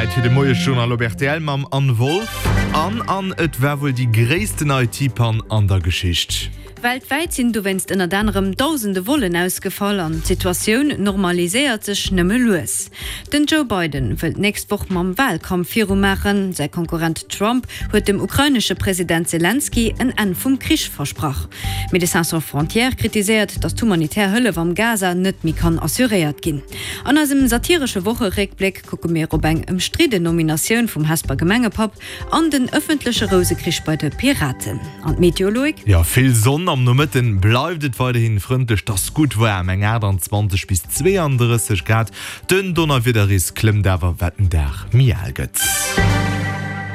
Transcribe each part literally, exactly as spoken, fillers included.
Zäit fir de Moiesjournal op rtl mam Anne Wolff. An an et war wuel déi gréissten I T-Pann an der Geschicht. Weltwäit sinn dowéinst ënnert anerem dausende Vollen ausgefall an d'Situatioun normaliséiert sech nëmme lues. Den Joe Biden wëllt d'nächst Woch mam Walkampf virumaachen. Säi Konkurrent Trump huet dem ukrainesche President Selenskyj en Enn vum Krich versprach. Médecins Sans Frontières kritiséiert, datt d'humanitär Hëllef am Gaza net méi kann assuréiert ginn. An eisem satiresche Wocheréckbléck kucke mir op eng ëmstridden Nominatioun vum Hesper Gemengepapp an den ëffentleche Rousekrich bei de Piraten. An d'Meteo, Loïc? Jo, vill Sonn. Am Nomëtten bleift et weiderhin frëndlech, 't ass gutt waarm, eng achttanzwanzeg bis zweeandrësseg Grad. Den Donnerwiederrisk klëmmt awer wat den Dag méi al gëtt.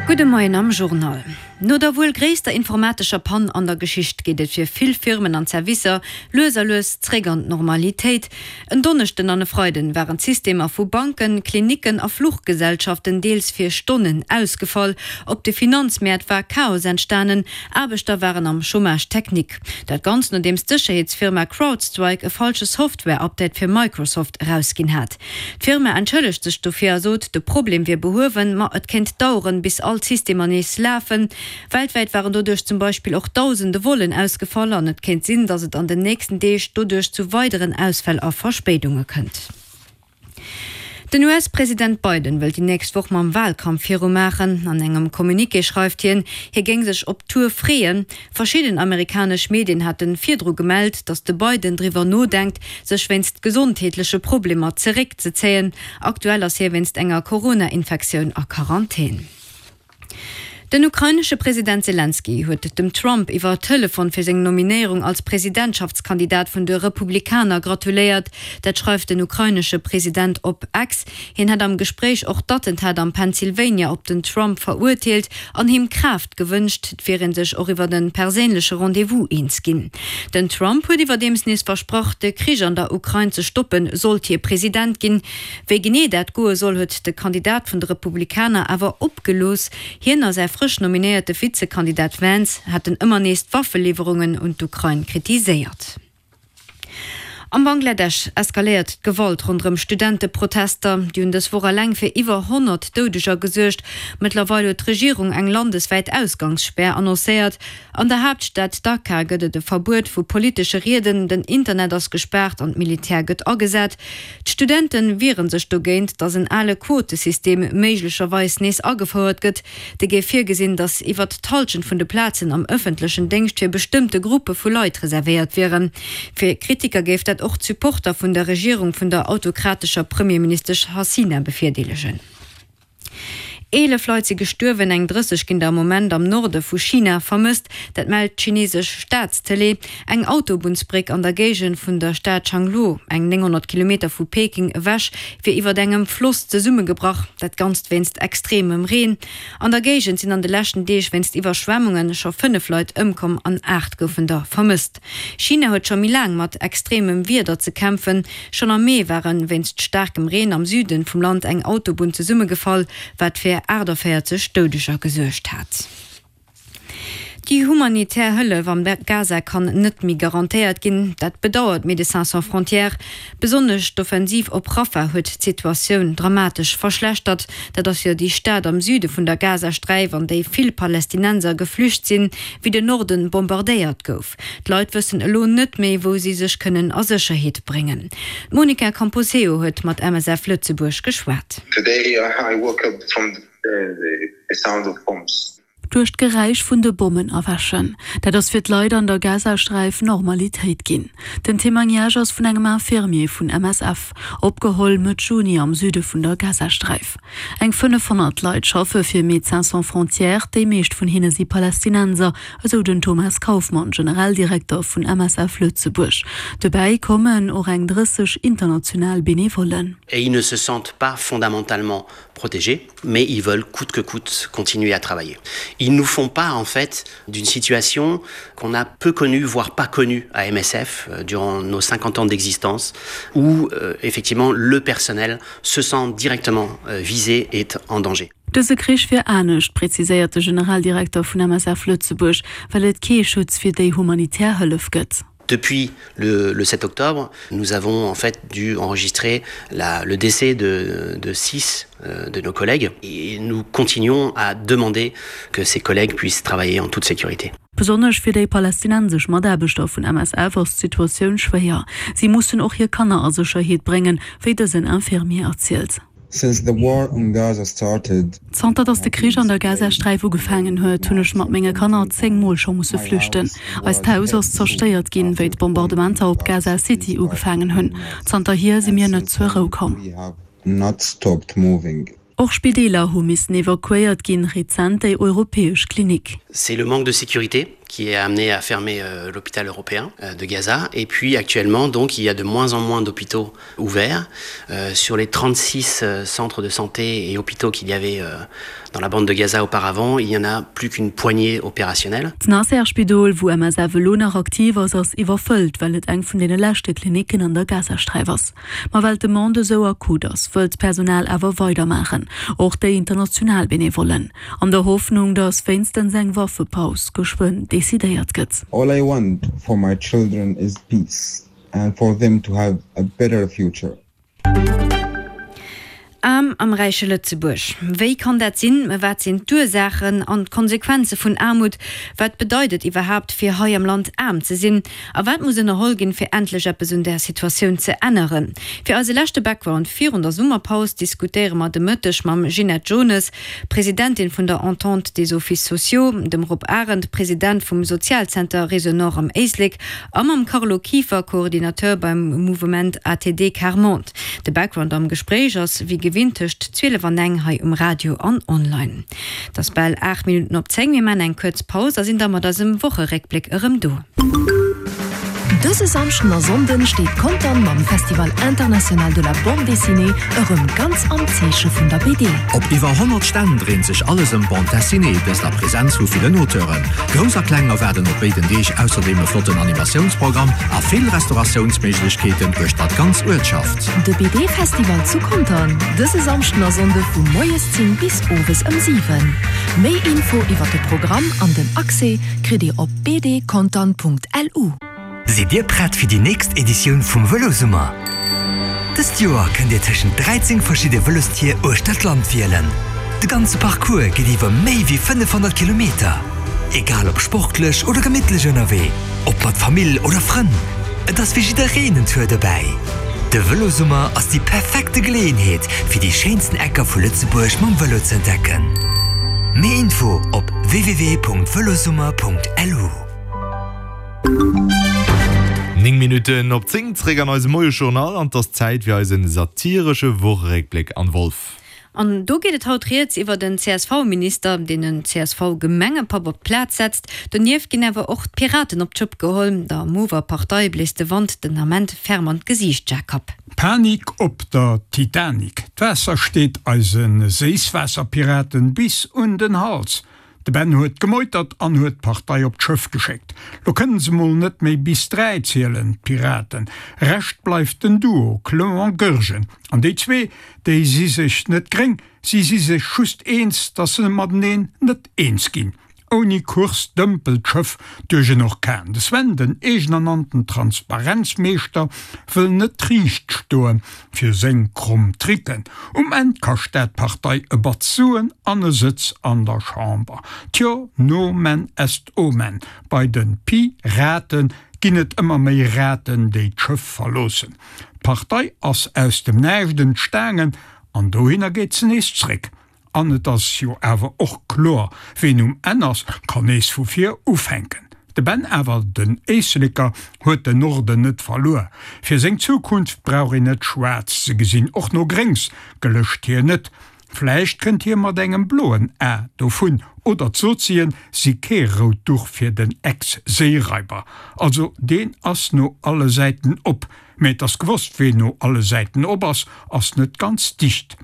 Gudde Moien am Journal. No der wuel gréisster informatescher Pann an der Geschicht geet et fir vill Firmen an Servicer lues a lues zréck an d'Normalitéit. En Donneschden an e Freiden waren d'Systemer vu Banken, Klinicken a Fluchgesellschaften deels fir Stonnen ausgefall. Op de Finanzmäert war Chaos entstanen, Aarbechter waren am Chômage technique. Dat Ganzt nodeems d'Sécherheetsfirma CrowdStrike e falsche Software-Update fir Microsoft erausginn hat. D'Firma entschëllegt sech dofir a sot, de Problem wier behuewen, ma et kéint daueren, bis all d'Systemer nees lafen. Weltwäit waren doduerch zum Beispill och dausende Vollen ausgefall an et kéint sinn, datt et an den nächsten Deeg doduerch zu weideren Ausfäll a Verspéidunge kënnt. Den U S-President Biden wëllt déi nächst Woch mam Walkampf virumaachen. An engem Communiqué schreift hien, hie géing sech op d'Tour freeën. Verschidden amerikanesch Medien hate virdru gemellt, datt de Biden driwwer nodenkt, sech wéinst gesondheetleche Problemer zeréckzezéien. Aktuell ass hie wéinst enger Corona-Infektioun a Quarantän. Den ukrainesche President Selenskyj huet dem Trump iwwer Telefon fir seng Nominéierung als Presidentschaftskandidat vun de Republikaner gratuléiert. Dat schreift den ukrainesche President op X. Hien hätt am Gespréich och d'Attentat am Pennsylvania op den Trump verurteelt an him Kraaft gewënscht. Et wier ee sech och iwwer e perséinleche Rendez-vous eens ginn. Den Trump huet iwwerdeems nees versprach, de Krich an der Ukrain ze stoppen, sollt hie President ginn. Wéi genee dat goe soll, huet de Kandidat vun de Republikaner awer opgelooss. Hien a säi frësch nominéierte Vizekandidat Vance haten ëmmer nees d'Waffeliwwerungen un d'Ukrain kritiséiert. Am Bangladesch eskaléiert d'Gewalt ronderëm Studenteprotester, déi hunn dës Woch eleng fir iwwer honnert Doudeger gesuergt. Mëttlerweil huet d'Regierung eng landeswäit Ausgangsspär annoncéiert. An der Haaptstad Dhaka gëtt et e Verbuet vu politesche Rieden, den Internet ass gespaart an d'Militär gëtt agesat. D'Studente wiere sech dogéint, datt en ale Quotesystem méiglecherweis nees agefouert gëtt. Dee géif virgesinn, datt iwwer d'Hallschent vun de Plazen am ëffentlechen Déngscht fir bestëmmte Gruppe vu Leit reservéiert wieren. Fir Kritiker géif dat och d'Supporter vun der Regierung vun der autokratescher Premierministesch Hasina bevirdeelegen. Eelef Leit si gestuerwen, eng drësseg ginn der am Moment am Norde vu China vermësst. Dat mellt d'chinesesch Staatstëlee. Eng Autobunnsbréck an der Géigend vun der Stad Changluo, eng nénghonnert Kilometer vu Peking ewech, wier iwwert engem Floss zesummegebrach. Dat Ganzt wéinst extremem Reen. An der Géigend sinn an de leschten Deeg wéinst Iwwerschwemmunge scho fënnef Leit ëmkomm an aacht goufen der vermësst. China huet scho méi laang mat extremem Wieder ze kämpfen. Schonn am Mee war wéinst staarkem Reen am Süde vum Land eng Autobunn zesummegefall, wat fir aachtavéierzeg Doudeger gesuergt hat. Déi humanitär Hëllef am Gaza kann net méi garantéiert ginn, dat bedauert Médecins Sans Frontières. Besonnesch d'Offensiv op Rafah huet d'Situatioun dramatesch verschlechtert. Dat ass jo déi Stad am Süde vun der Gazasträif, an déi vill Palästinenser geflücht sinn, wéi den Norden bombardéiert gouf. D'Leit wëssen elo net méi, wou si sech kënnen a Sécherheet bréngen. D'Monica Camposeo huet mat M S F Lëtzebuerg geschwat. Today I woke up from the, the sound of bombs. Duerch d'Geräisch vun de Bommen erwächen. Dat ass fir d'Leit an der Gazasträif Normalitéit ginn. Den Témoignage ass vun engem Infirmier vun M S F, opgeholl Mëtt Juni am Süde vun der Gazasträif. Eng fënnefhonnert Leit schaffe fir Médecins Sans Frontières, déi meescht vun hinne si Palästinenser, esou den Thomas Kauffmann, Generaldirekter vun M S F Lëtzebuerg. Dobäi kommen och eng drësseg international Benevollen. Et ils ne se sentent pas fondamentalement protégés, mais ils veulent coûte que coûte continuer à travailler. Ils nous font part en fait d'une situation qu'on a peu connue, voire pas connue à M S F euh, durant nos cinquante ans d'existence, où euh, effectivement le personnel se sent directement euh, visé et en danger. Dëse Krich wier anescht, präziséiert de Generaldirekter vun M S F Lëtzebuerg, well et kee Schutz fir déi humanitär Hëllef gëtt. Depuis le, le sept octobre, nous avons en fait dû enregistrer la, le décès de, de six euh, de nos collègues et nous continuons à demander que ces collègues puissent travailler en toute sécurité. Besonnesch fir déi palästinensesch Mataarbechter vun M S F ass d'Situatioun schwéier. Si mussen och hir Kanner a Sécherheet bréngen, wéi dësen Infirmier erzielt. Since the war on Gaza started, Zanter datt de Krich an der Gazasträif ugefaangen huet, hunn ech mat menge Kanner zéng Mol scho musse flüchten. Eist Haus ass zerstéiert ginn, wéi d'Bombardementer op Gaza City ugefaangen hunn. Zanterhier si mir net zur Rou komm. We have not stopped moving. Och Spideeler hu missen evakuéiert ginn, rezent déi europäesch Klinik. C'est le manque de sécurité qui est amené à fermer euh, l'hôpital européen euh, de Gaza et puis actuellement donc il y a de moins en moins d'hôpitaux ouverts euh, sur les trente-six euh, centres de santé et hôpitaux qu'il y avait euh, dans la bande de Gaza auparavant, il n'y en a plus qu'une poignée opérationnelle. D'Nasser-Spidol, wou M S F elo nach aktiv ass, ass iwwerfëllt, well et eng vun deene leschte Klinicken an der Gazasträif ass. Ma well d'Demande esou akut ass, wëllt d'Personal awer weidermaachen, och déi international Benevollen, an der Hoffnung, datt wéinstens eng Waffepaus geschwënn decidéiert gëtt. All I want for my children is peace and for them to have a better future. Aarm am räiche Lëtzebuerg. Wéi kann dat sinn? Wat sinn d'Ursaachen an d'Konsequenze vun Aarmut? Wat bedeit et iwwerhaapt fir hei am Land aarm ze sinn? A wat muss ënnerholl ginn, fir endlech eppes un der Situatioun ze änneren? Fir eise leschte Background virun der Summerpaus diskutéiere mer de Mëtteg mam Ginette Jones, Presidentin vun der Entente des Offices Sociaux, dem Rob Arendt, President vum Sozialzenter Réseau Nord am Éislek, a mam Carlo Kieffer, Coordinateur beim Mouvement A T D Quart Monde. De Background am Gespréich ass wéi gewinnt tëscht zwielef an eng hei um Radio an online. Et ass bal aacht Minutten op zéng, mir maachen eng kuerz Paus a sinn da mat eisem Wocheréckbléck erëm do. Dëse Samschden a Sonnden steet Contern mam Festival International de la Bande Dessinée erëm ganz am Zeeche vun der B D. Op iwwer honnert Stänn dréint sech alles ëm Bande Dessinée, dëst a Presenz vu villen Auteuren. Grouss a Kleng erwaarden op béiden Deeg ausserdeem e flotten Animatiounsprogramm a vill Restauratiounsméiglechkeeten uechter d'ganz Uertschaft. De B D-Festival zu Contern, dëse Samschden a Sonnde vu moies zéng bis owes ëm siwen. Méi Info iwwer de Programm an den Accès kritt Dir op bdcontern Punkt L U. Sidd Dir prett fir déi nächst Editioun vum Vëlosummer? Dëst Joer kënnt Dir tëschent dräizéng verschidde Vëlostier uechter d'Land wielen. De ganze Parcours geet iwwer méi wéi fënnefhonnert Kilometer. Egal ob sportlech oder gemittlech ënnerwee, ob mat Famill oder Frënn, et ass fir jiddereen en Tour dobäi. De Vëlosummer ass déi perfekte Geleeënheet, fir déi schéinsten Ecker vu Lëtzebuerg mam Vëlo ze entdecken. Méi Info op w w w Punkt velosummer Punkt L U. Néng Minutten op zéng, zréck an eisem Moiejournal an et ass Zäit fir eisen satiresche Wocheréckbléck an Wolf. An do geet et haut rieds iwwer den C S V-Minister, deen en C S V-Gemengepapp op d'Plaz setzt. Donieft ginn awer och d'Piraten op d'Schëpp geholl. Der Mover-Partei bléist de Wand den Ament ferm an d'Gesiicht, Jacob. Panik op der Titanic. D'Waasser steet eise Séisswaasserpiraten bis un den Hals. De Ben huet gemeutert an huet d'Partei op d'Schëff geschéckt. Lo kënnen se mol net méi bis dräi zielen, d'Piraten. Rescht bleift den Duo Clement Goergen. An déi zwee, déi si sech net gréng, si si sech just eens, datt se mateneen net eens ginn. Ouni Kurs dëmpelt d'Schëff duerch en Orkan. De Sven, den eegenernannten Transparenzmeeschter, wëll net riicht stoe fir seng kromm Tricken. Um Enn kascht dat d'Partei e Batz Suen an e Sëtz an der Chamber. Tjo, nomen est omen. Bei de Pi-Raten ginn et ëmmer méi Raten, déi d'Schëff verloossen. D'Partei ass aus dem Näischt entstaangen an dohinner geet se nees zréck. An et ass jo awer och kloer, ween um Enn ass, kann nees vu vir ufänken. De Ben awer, den Éisleker, huet den Norden net verluer. Fir seng Zukunft brauch een net schwaarz ze gesinn, och no Gréngs gelëscht hien net. Vläicht kënnt hie mat engem bloen A dovun, oder d'Sozien si kee rout Duch fir den Ex-Séiraiber. Also deen ass no alle Säiten op. Mee et ass gewosst, ween no alle Säiten op ass, ass net ganz dicht.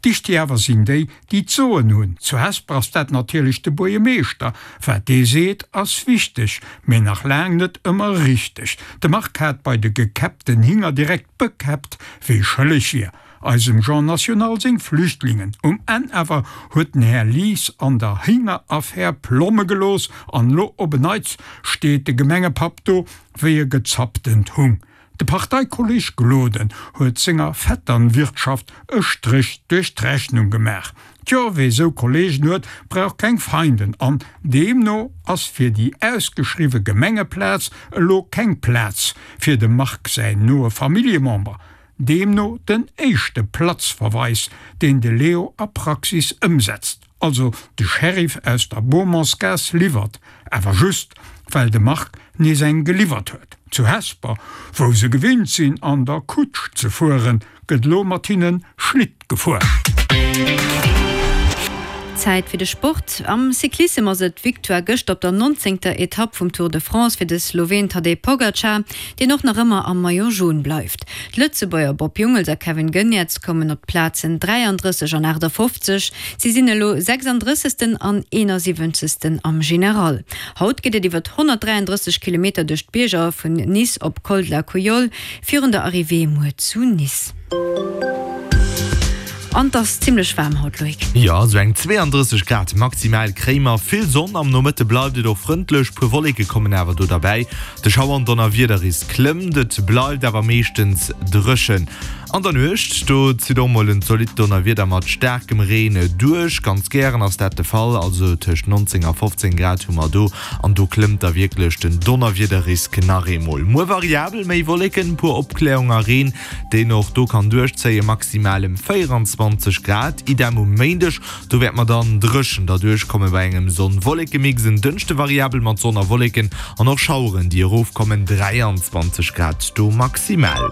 Dicht awer sinn déi, déi d'Soen hunn. Zu Hesper ass dat natierlech de Buergermeeschter. Wat dee seet, ass wichteg, mee nach laang net ëmmer richteg. De Marc hat bei de gekäppten Hinger direkt bekäppt, wie schëlleg wier. eisem Jean National seng Flüchtlingen. Um Enn awer huet den Här Lies an der Héngeraffär Plomme gelooss an lo op en Neits steet de Gemengepapp do wéi e gezapptent Hung. De Parteikolleg Gloden huet senger Vetternwirtschaft e Stréch duerch d'Rechnung gemaach. Tjo, wee sou Kollegen huet, brauch keng Feinden an deemno ass fir déi ausgeschriwwe Gemengeplaz elo keng Plaz fir dem Marc säin noe Familljemember. Deemno den éischte Platzverweis, deen de Leo a Praxis ëmsetzt, also de Sheriff aus der Beaumontsgaass liwwert, awer just well de Marc nees eng geliwwert huet. Zu Hesper, wou se gewinnt sinn an der Kutsch ze fueren, gëtt lo mat hinne Schlitt gefuer. Zäit fir de Sport. Am Cyclissem ass et d'Victoire gëscht op der nonzéngter Etapp vum Tour de France fir de Sloween Tadej Pogacar, deen och nach ëmmer am Maillot Jaune bleift. D'Lëtzebuerger Bob Jungels a Kevin Geniets kommen op d'Plazen dräiandrësseg an aachtafoffzeg. Si sinn elo sechsandrëssegsten an eenasiwwenzegsten am General. Haut geet et iwwer honnertdräiandrësseg Kilometer duerch d'Bierger vun Nice op Col de la Couillole virun der Arrivée muer zu Nice. An 't ass zimlech waarm haut, Loïc. Jo, esou eng zweeandrësseg Grad maximal kréie mer. Vill Sonn, am Nomëtte bleift et och frëndlech, puer Wolleke kommen awer do derbäi. De Schauer an Donnerwiederrisk klëmmt, et bleift awer meeschtens dréchen. An der Nuecht, do zitt och mol en zolidd Donnerwieder mat staarkem Reen duerch. Ganz gären ass dat de Fall, also tëscht nonzéng a fofzéng Grad hu mer do, an do klëmmt da wierklech den Donnerwiederrisk nach eemol. Muer variabel, méi Wolleken, puer Opkläerung a Reen, deen och do kann duerchzéien, maximal ëm véieranzwanzeg Grad. Idem um Méindeg, do wäerte mer dann dréchen derduerch komme bei engem Sonn-Wolleke-Mix. En Dënschde variabel mat Sonn a Wolleken an och Schaueren, déi erofkommen, dräianzwanzeg Grad do maximal.